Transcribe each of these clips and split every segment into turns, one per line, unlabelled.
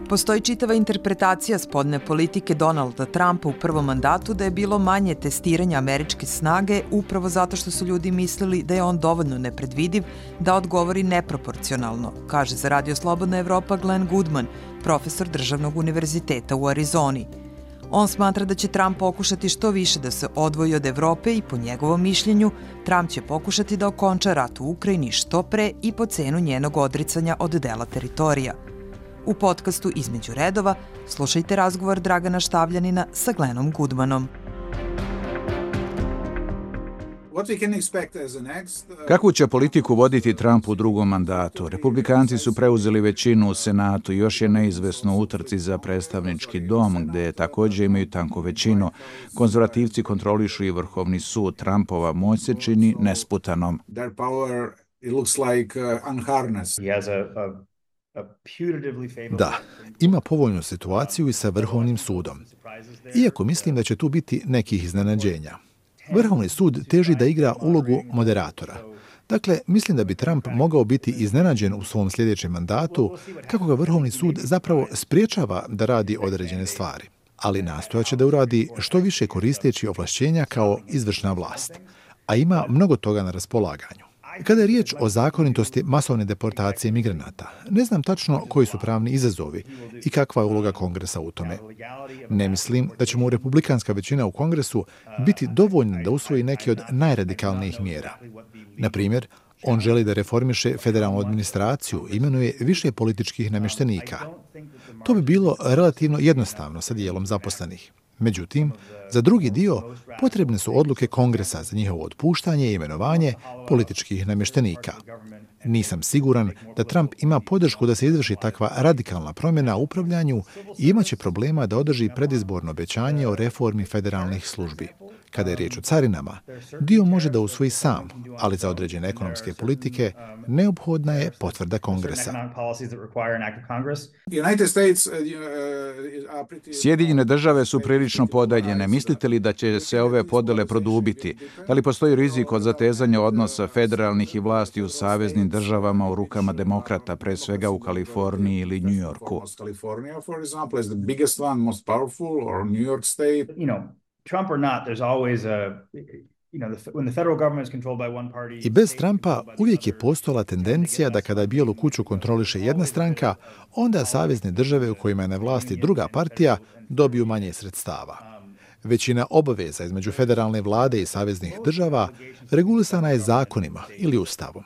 Postoji čitava interpretacija spoljne politike Donalda Trumpa u prvom mandatu da je bilo manje testiranja američke snage upravo zato što su ljudi mislili da je on dovoljno nepredvidiv da odgovori neproporcionalno, kaže za Radio Slobodna Evropa Glenn Goodman, profesor Državnog univerziteta u Arizoni. On smatra da će Trump pokušati što više da se odvoji od Evrope i po njegovom mišljenju Trump će pokušati da okonča rat u Ukrajini što pre i po cenu njenog odricanja od dela teritorija. U podcastu Između redova slušajte razgovor Dragana Štavljanina sa Glennom Goodmanom.
Kakvu će politiku voditi Trump u drugom mandatu? Republikanci su preuzeli većinu u Senatu i još je neizvesno u utrci za predstavnički dom, gde također imaju tanku većinu. Konzervativci kontrolišu i Vrhovni sud. Trumpova moć se čini nesputanom.
Da, ima povoljnu situaciju i sa Vrhovnim sudom. Iako mislim da će tu biti nekih iznenađenja. Vrhovni sud teži da igra ulogu moderatora. Dakle, mislim da bi Trump mogao biti iznenađen u svom sljedećem mandatu kako ga Vrhovni sud zapravo spriječava da radi određene stvari. Ali nastojaće da uradi što više koristeći ovlašćenja kao izvršna vlast. A ima mnogo toga na raspolaganju. Kada je riječ o zakonitosti masovne deportacije migranata, ne znam tačno koji su pravni izazovi i kakva je uloga Kongresa u tome. Ne mislim da će mu republikanska većina u Kongresu biti dovoljna da usvoji neke od najradikalnijih mjera. Na primjer, on želi da reformiše federalnu administraciju i imenuje više političkih namještenika. To bi bilo relativno jednostavno sa dijelom zaposlenih. Međutim, za drugi dio potrebne su odluke Kongresa za njihovo otpuštanje i imenovanje političkih namještenika. Nisam siguran da Trump ima podršku da se izvrši takva radikalna promjena u upravljanju i imaće problema da održi predizborno obećanje o reformi federalnih službi. Kada je riječ o carinama, dio može da usvoji sam, ali za određene ekonomske politike neophodna je potvrda Kongresa.
Sjedinjene države su prilično podeljene. Mislite li da će se ove podele produbiti? Da li postoji rizik od zatezanja odnosa federalnih i vlasti u saveznim državama u rukama demokrata, pre svega u Kaliforniji ili Njujorku?
Trump or not, there's always when the federal government is controlled by one party.
I bez Trumpa uvijek je postojala tendencija da kada Bijelu kuću kontroliše jedna stranka, onda savezne države u kojima je na vlasti druga partija dobiju manje sredstava. Većina obaveza između federalne vlade i saveznih država regulisana je zakonima ili ustavom.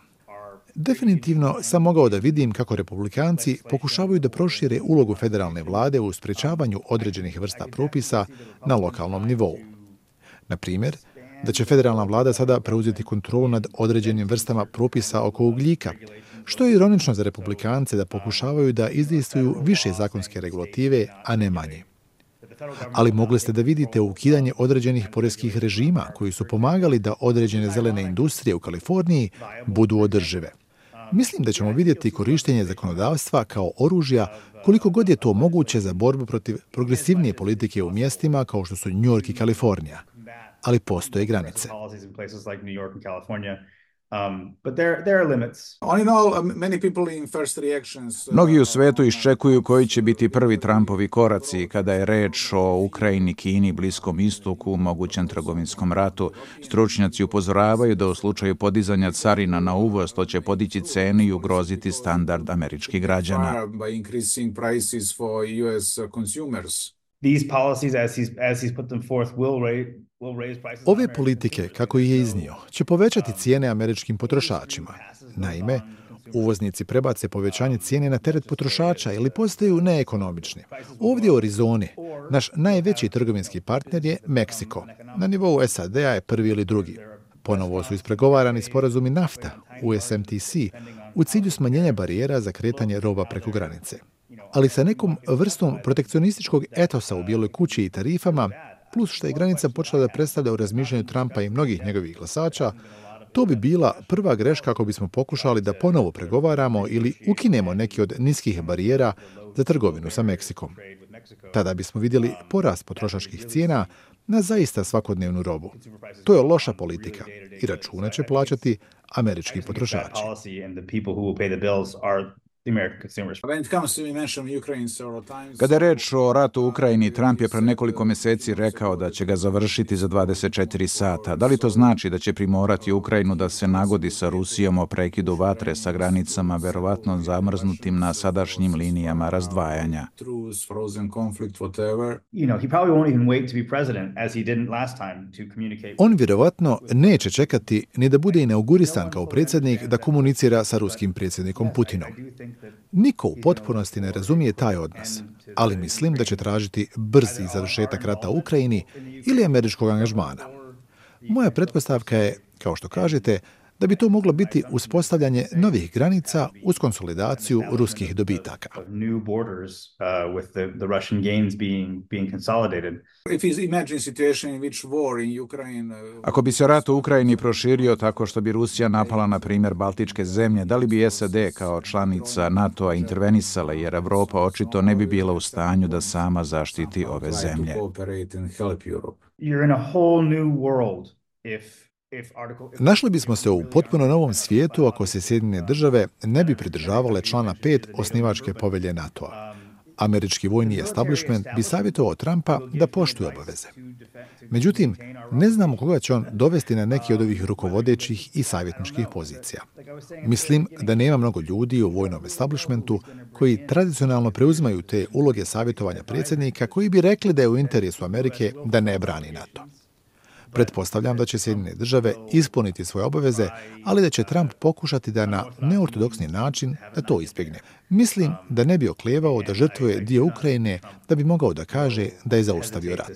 Definitivno sam mogao da vidim kako republikanci pokušavaju da prošire ulogu federalne vlade u sprečavanju određenih vrsta propisa na lokalnom nivou. Na primjer, da će federalna vlada sada preuzeti kontrolu nad određenim vrstama propisa oko ugljika, što je ironično za republikance da pokušavaju da izdejstvuju više zakonske regulative, a ne manje. Ali mogli ste da vidite ukidanje određenih poreskih režima koji su pomagali da određene zelene industrije u Kaliforniji budu održive. Mislim da ćemo vidjeti korištenje zakonodavstva kao oružja koliko god je to moguće za borbu protiv progresivnije politike u mjestima kao što su New York i Kalifornija. Ali postoje granice.
Mnogi u svetu iščekuju koji će biti prvi Trumpovi koraci kada je reč o Ukrajini, Kini, Bliskom istoku, mogućem trgovinskom ratu. Stručnjaci upozoravaju da u slučaju podizanja carina na uvoz to će podići cene i ugroziti standard američkih građana.
Ove politike, kako ih je iznio, će povećati cijene američkim potrošačima. Naime, uvoznici prebace povećanje cijene na teret potrošača ili postaju neekonomični. Ovdje u Arizoni naš najveći trgovinski partner je Meksiko. Na nivou SAD-a je prvi ili drugi. Ponovo su ispregovarani sporazumi NAFTA, USMTC, u cilju smanjenja barijera za kretanje roba preko granice. Ali sa nekom vrstom protekcionističkog etosa u Bijeloj kući i tarifama, plus što je granica počela da predstavlja u razmišljanju Trumpa i mnogih njegovih glasača, to bi bila prva greška ako bismo pokušali da ponovo pregovaramo ili ukinemo neki od niskih barijera za trgovinu sa Meksikom. Tada bismo vidjeli porast potrošačkih cijena na zaista svakodnevnu robu. To je loša politika i račune će plaćati američki potrošači.
the American consumers.
Kada je reč o ratu u Ukrajini, Trump je pre nekoliko meseci rekao da će ga završiti za 24 sata. Da li to znači da će primorati Ukrajinu da se nagodi sa Rusijom o prekidu vatre sa granicama verovatno zamrznutim na sadašnjim linijama razdvajanja?
On vjerovatno neće čekati ni da bude inaugurisan kao predsjednik da komunicira sa ruskim predsjednikom Putinom. Niko u potpunosti ne razumije taj odnos, ali mislim da će tražiti brzi završetak rata u Ukrajini ili američkog angažmana. Moja pretpostavka je, kao što kažete, da bi to moglo biti uspostavljanje novih granica uz konsolidaciju ruskih dobitaka.
Ako bi se rat u Ukrajini proširio tako što bi Rusija napala, na primjer, Baltičke zemlje, da li bi SAD kao članica NATO-a intervenisala, jer Evropa očito ne bi bila u stanju da sama zaštiti ove zemlje?
Našli bismo se u potpuno novom svijetu ako se Sjedinjene države ne bi pridržavale člana 5 osnivačke povelje NATO-a. Američki vojni establishment bi savjetovao Trumpa da poštuje obaveze. Međutim, ne znamo koga će on dovesti na neki od ovih rukovodećih i savjetničkih pozicija. Mislim da nema mnogo ljudi u vojnom establishmentu koji tradicionalno preuzimaju te uloge savjetovanja predsjednika koji bi rekli da je u interesu Amerike da ne brani NATO. Pretpostavljam da će Sjedinjene države ispuniti svoje obaveze, ali da će Trump pokušati da na neortodoksni način da to izbjegne. Mislim da ne bi oklijevao da žrtvuje dio Ukrajine da bi mogao da kaže da je zaustavio rat.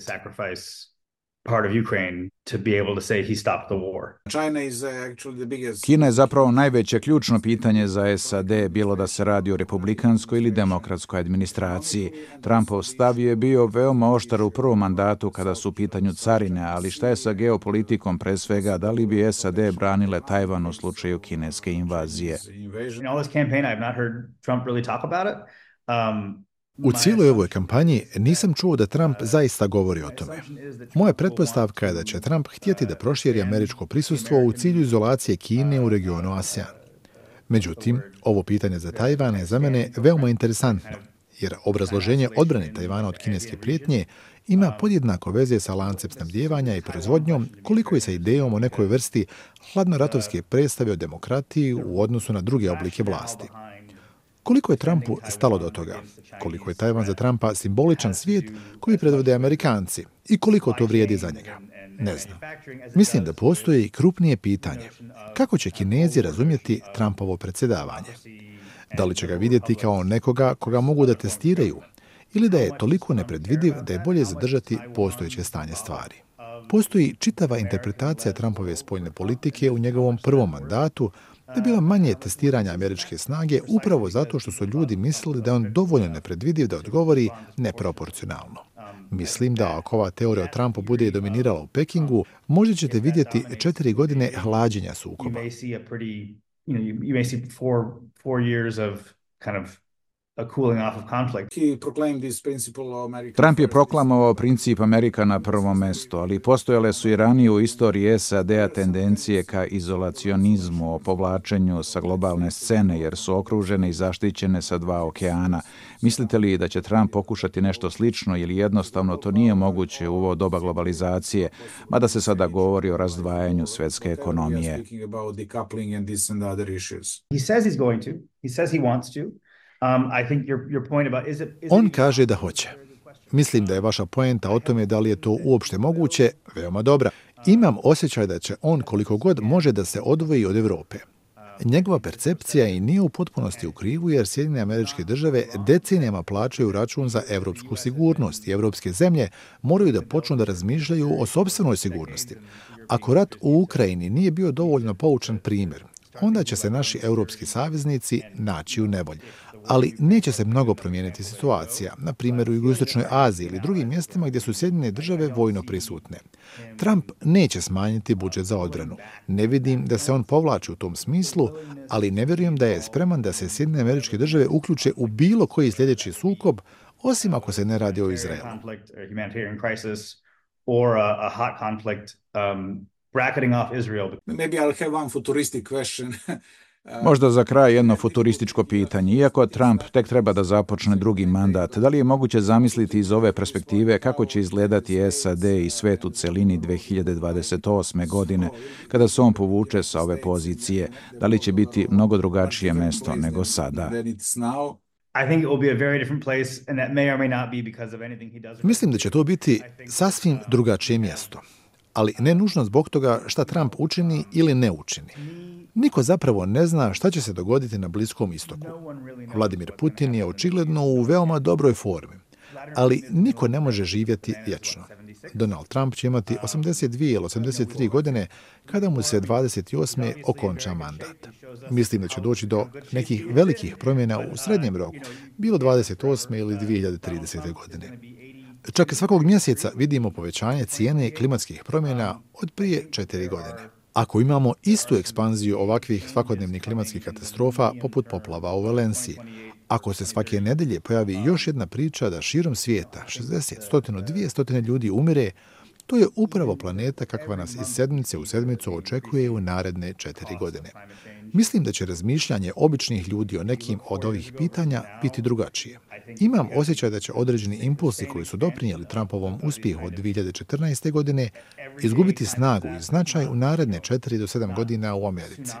Kina je zapravo najveće ključno pitanje za SAD, bilo da se radi o republikanskoj ili demokratskoj administraciji. Trumpov stav je bio veoma oštar u prvom mandatu kada su u pitanju carine, ali šta je sa geopolitikom pre svega, da li bi SAD branile Tajvan u slučaju kineske invazije?
U cijeloj ovoj kampanji nisam čuo da Trump zaista govori o tome. Moja pretpostavka je da će Trump htjeti da proširi američko prisustvo u cilju izolacije Kine u regionu ASEAN. Međutim, ovo pitanje za Tajvan je za mene veoma interesantno, jer obrazloženje odbrane Tajvana od kineske prijetnje ima podjednako veze sa lancem snabdijevanja i proizvodnjom, koliko i sa idejom o nekoj vrsti hladnoratovske predstave o demokratiji u odnosu na druge oblike vlasti. Koliko je Trumpu stalo do toga? Koliko je Tajvan za Trumpa simboličan svijet koji predvode Amerikanci? I koliko to vrijedi za njega? Ne znam. Mislim da postoji i krupnije pitanje. Kako će Kinezi razumjeti Trumpovo predsjedavanje? Da li će ga vidjeti kao nekoga koga mogu da testiraju? Ili da je toliko nepredvidiv da je bolje zadržati postojeće stanje stvari? Postoji čitava interpretacija Trumpove spoljne politike u njegovom prvom mandatu, da je bilo manje testiranja američke snage upravo zato što su ljudi mislili da je on dovoljno nepredvidiv da odgovori neproporcionalno. Mislim da ako ova teorija o Trumpu bude dominirala u Pekingu, možda ćete vidjeti 4 godine hlađenja sukoba.
Trump je proklamovao princip Amerika na prvom mestu, ali postojale su i ranije u istoriji SAD-a tendencije ka izolacionizmu, o povlačenju sa globalne scene, jer su okružene i zaštićene sa 2 okeana. Mislite li da će Trump pokušati nešto slično ili jednostavno to nije moguće u ovo doba globalizacije, mada se sada govori o razdvajanju svetske ekonomije?
On kaže da hoće. Mislim da je vaša poenta o tome da li je to uopšte moguće veoma dobra. Imam osjećaj da će on koliko god može da se odvoji od Evrope. Njegova percepcija i nije u potpunosti u krivu jer Sjedinjene Američke Države decenijama plaćaju račun za evropsku sigurnost i evropske zemlje moraju da počnu da razmišljaju o sopstvenoj sigurnosti. Ako rat u Ukrajini nije bio dovoljno poučan primjer, onda će se naši europski saveznici naći u nevolji. Ali neće se mnogo promijeniti situacija, na primjer u Jugoistočnoj Aziji ili drugim mjestima gdje su Sjedinjene Države vojno prisutne. Trump neće smanjiti budžet za odbranu. Ne vidim da se on povlači u tom smislu, ali ne vjerujem da je spreman da se Sjedinjene Američke Države uključe u bilo koji sljedeći sukob, osim ako se ne radi o Izraelu.
Bracketing off Israel. Maybe I'll have one futuristic question.
Možda za kraj jedno futurističko pitanje. Iako Trump tek treba da započne drugi mandat, da li je moguće zamisliti iz ove perspektive kako će izgledati SAD i svet u celini 2028. godine, kada se on povuče sa ove pozicije? Da li će biti mnogo drugačije mesto nego sada?
Mislim da će to biti sasvim drugačije mjesto, ali ne nužno zbog toga šta Trump učini ili ne učini. Niko zapravo ne zna šta će se dogoditi na Bliskom istoku. Vladimir Putin je očigledno u veoma dobroj formi, ali niko ne može živjeti vječno. Donald Trump će imati 82 ili 83 godine kada mu se 28. okonča mandat. Mislim da će doći do nekih velikih promjena u srednjem roku, bilo 28. ili 2030. godine. Čak svakog mjeseca vidimo povećanje cijene klimatskih promjena od prije 4 godine. Ako imamo istu ekspanziju ovakvih svakodnevnih klimatskih katastrofa poput poplava u Valenciji, ako se svake nedelje pojavi još jedna priča da širom svijeta 60, 100, 200 ljudi umire, to je upravo planeta kakva nas iz sedmice u sedmicu očekuje u naredne 4 godine. Mislim da će razmišljanje običnih ljudi o nekim od ovih pitanja biti drugačije. Imam osjećaj da će određeni impulsi koji su doprinijeli Trumpovom uspjehu od 2014. godine izgubiti snagu i značaj u naredne 4 do 7 godina u Americi.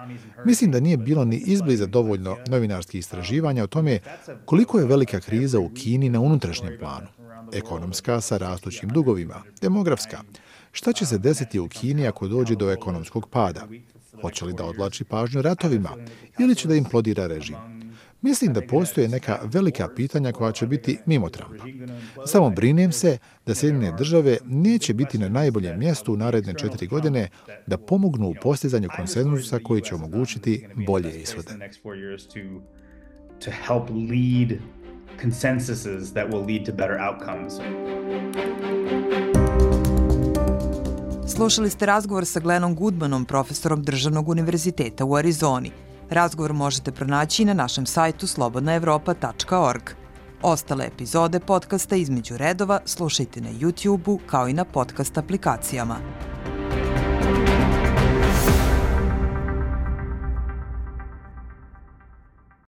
Mislim da nije bilo ni izbliza dovoljno novinarskih istraživanja o tome koliko je velika kriza u Kini na unutrašnjem planu. Ekonomska sa rastućim dugovima, demografska. Šta će se desiti u Kini ako dođe do ekonomskog pada? Hoće li da odvlači pažnju ratovima ili će da implodira režim? Mislim da postoje neka velika pitanja koja će biti mimo Trumpa. Samo brinem se da Sjedinjene države neće biti na najboljem mjestu u naredne 4 godine da pomognu u postizanju konsenzusa koji će omogućiti bolje ishode.
Consensuses that will lead to better outcomes.
Slušali ste razgovor sa Glennom Goodmanom, profesorom Državnog univerziteta u Arizoni. Razgovor možete pronaći na našem sajtu slobodnaevropa.org. Ostale epizode podcasta Između redova slušajte na YouTube-u kao i na podcast aplikacijama.